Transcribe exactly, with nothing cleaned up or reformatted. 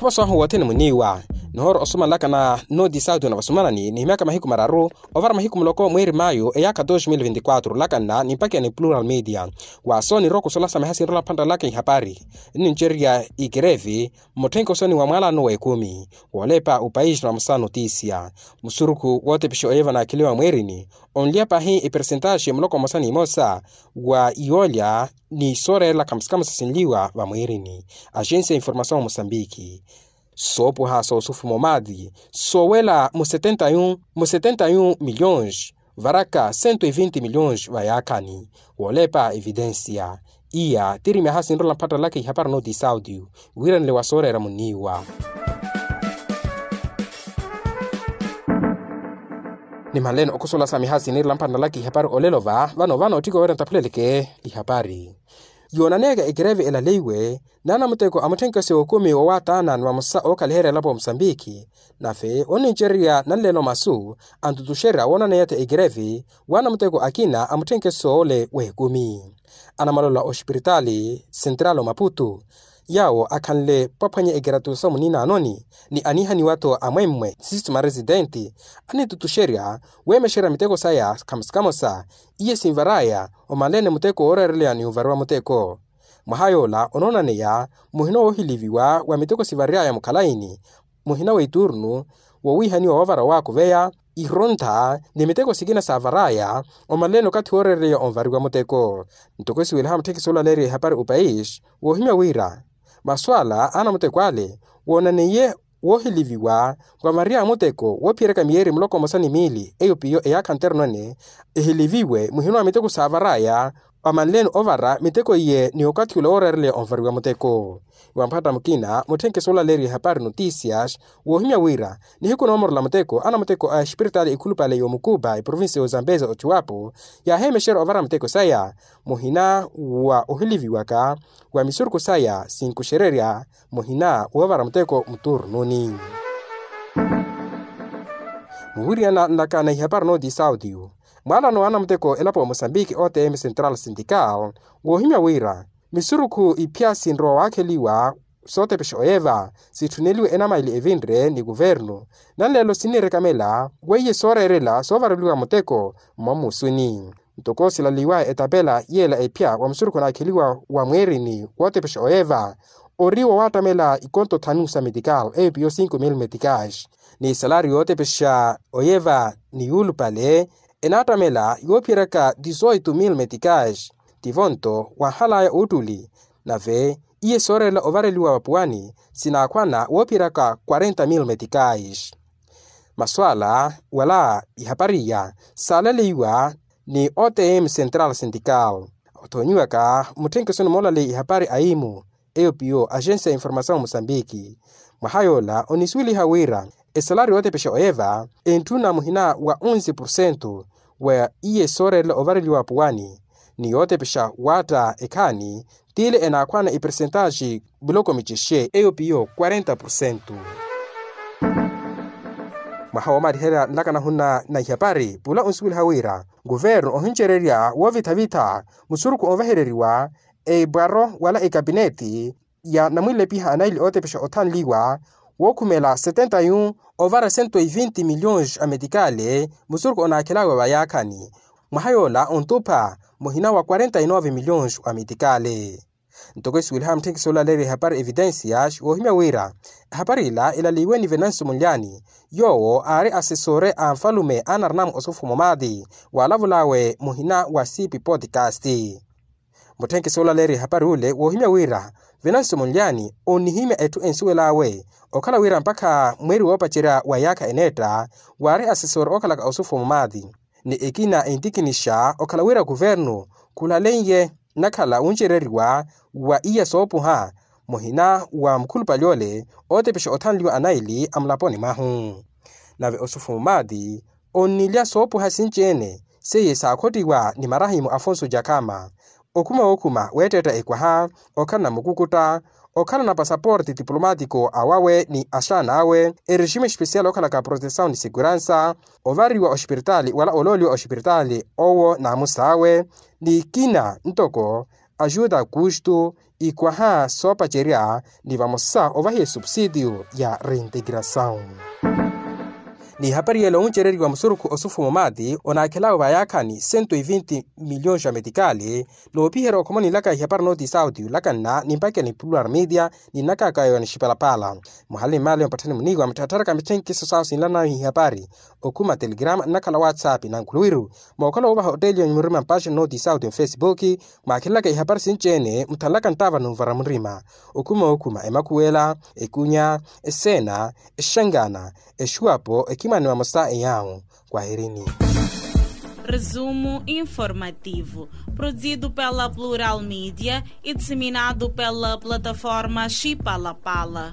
Oswahu wothene muniiwa. Nihoora osumanlaka na noti sauti na vasumanani nihimyaka mahiku mararu ovara mahiku muloko mweeri mayu eyaakha dos mil vinti quatro olakanna ni mpakha ni plural media. Waaso nirooko solasamiha sinrola phantalaka ihapari nnincererya ikerevi mmutthenke osoni wa mwaalano w'ekumi woolepa opaisi na musa notisia. Musurukhu wootepexa oye vanaakheliwa mweerini onlya pahi epersentaxi muloko mmosa n'imosa wa yoolya ni sooreerela khamusikhamusa sinliwa vamwiirini. Axensi ya informasawu musambiki soopuha soosufuma omaati soowela mu setenta yu mu setenta yu milhões varaka sento e vinti milhões vayaakhani. Woolepa evidensia iya tiri myaha sinrola mphattalaka ihapari noti sauti wiiranile wa sooreera muniiwa. Nimanleni okhusola sa miha siniirela mphantalaka ihapari olelo va vano vano otthika oweera ntaphuleleke ihapari. Yoonaneyaka ekereve elaleiwe n'anamuteko a mutthenkeso okumi woowaataana ni vamosa ookhaliherya elapo musambiki nave onnincererya nanleelo masu antutuxerya woonaneya-tho ekereve w'anamuteko akina a mutthenkeso ole w'ekumi. Anamalola oxipiritaali sentrali omaputu yaawo akhanle pwaphwanya ekeratusa muninaanoni ni anihaniwa-tho amwemmwe sistu maresidenti anitutuxerya weemexerya miteko saya khamosa khamosa iye sinvaraya omanleene muteko wooreereleya ni ovariwa muteko. Mwaha yoola onoonaneya muhina woohiliviwa wa miteko sivariyaya mukhalaini muhina w'iturnu woowihaniwa woovara waakuveya irontha ni miteko sikina saavaraya omanleene okathi wooreereleya onvariwa muteko. Ntoko esiweliha mutthekisi olaleeriwa ehapari opaisi woohimya wira masu ala anamuteko ale woonaneiye woohiliviwa wa maria a muteko woophiyeryaka miyeeri muloko mmosa ni miili eyo piyo eyaakha nterno ene ehiliviwe muhina wa miteko saavaraya amanleene ovara miteko iye ni okathi ula wooreereleya onvariwa muteko. Wa mphatta mukina mutthenkesi olaleeriwa ehapari notisias woohimya wira nihiku noomorola muteko anamuteko a espiritaali ekhulupale y'omukupa eprovincia y'ozambeza ochiwapo yaaheemexerya ovara miteko saya muhina wa ohiliviwaka wa misurukhu saya sinkuxererya muhina woovara muteko muturnuni. Muwiriyana nlakana ihapari nooti sauti mwaalano w'anamuteko elapo mosambiki otm central sindical woohimya wira misurukhu iphya sinrowa waakheliwa sootepexa oyeva sitthuneliwe enamaili evinre ni kuvernu nanleelo sinnirekamela weiye sooreerela soovareliwa muteko mmamusuni. Ntoko silaliwaya etapela yeela ephya wa musurukhu onaakheliwa wa mweerini wootepexa oyeva ori wowaattamela ikonto thanu sa metikal eyo piyo cinco mil metikais ni salari yootepexa oyeva ni yuulupale enaattamela yoophiyeryaka dizoito mil metikais. Tivo nto wanhalaya oottuli nave iye sooreerela ovareliwa vapuwani sinaakhwana woophiyeryaka quarenta mil metikais. Masu ala wala ihapari iya saalaleiwa ni otm central sindical othoonyiwaka mutthenkesoni moolaleya ihapari aimu eyo piyo axensi ya informasawu musambiki. Mwaha yoola onisuweliha wira esalari yootepexa oyeva entthuna muhina wa onze porcento wa iye sooreerela ovareliwa apuwani ni yootepexa waatta ekhaani tiile enaakhwana epersentaxi muloko micexe eyo piyo quarenta porcento. Mwaha woomaliherya nlaka nahunna na ihapari pula onsuweliha wira kuvernu ohincererya woovitha-vitha musurukhu onvehereriwa epwaro wala ekapineti ya namwilepiha anaili ootepexa othanliwa wookhumela setenta yu ovara sento e vinti milhões a metikale musurukhu onaakhelaawe vayaakhani mwaha yoola ontupha muhina wa quarenta e nove milhões a metikale. Ntoko esuweliha mutthenkisi olaleeriwa ehapari evitensias woohimya wira ehapari ila elaliwe ni venancio munlyani yoowo aari asesore a nfalume anarinamu osufuma omaati waalavulaawe muhina wa sipi podcast. Mutthenkisi olaleeriwa ehapari ule woohimya wira venancio munlyani onnihimya etthu ensuwel'awe okhala wira mpakha mweeri woopacerya wa yaakha eneetta waari asesore okhalaka osufuma omaati ni ekina entikinisha okhala wira kuvernu khulaleiye nnakhala wuncereriwa wa iya soopuha muhina wa mukhulupale ole ootepexa othanliwa anaili a mulaponi mwahu. Nave osufuma omaati onnilya soopuha sinci-ene seiye saakhottiwa ni marahimu afonso jakama okhuma wookhuma weettetta ekwaha okhalana mukukutta okhalana pasaporte tiplomatiko awawe ni axaana awe eregime especial okhalaka protesawu ni seguransa ovariwa oxipiritaali wala olooliwa oxipiritaali owo n'amus'awe ni kina ntoko ajuda kustu ikwaha soopacerya ni vamosa ovahiya esupsidiyu ya reintegrasawu. Ni hapari yela oncereriwa musurukhu osufumo maati onakhelawe vayaakhani cento e vinte miliyons ya metikali. Noopiherya okhomoni nlaka ihapari nooti sauti yulakanna ni mpakeni plural media ni nnakaka yowa ni xipalapala. Muhali ni mali ompatthani muniiwa mutthaattharaka mitthenkhiso sawo sinlanawe ihapari okhuma telegram nnakhala whatsapp na nkhuluwiru mookhala woovaha otteliyo ni murima mpaxani nooti sauti ofesipuki. Mwaakhelelaka ihapari sinci-ene muthanlaka nttaava numvara murima okhuma okhuma emakhuwela ekunya eseena exangana exuwapo ekimani mamosa eyaawu. Kwahirini. Resumo informativo, produzido pela plural media e disseminado pela plataforma xipalapala.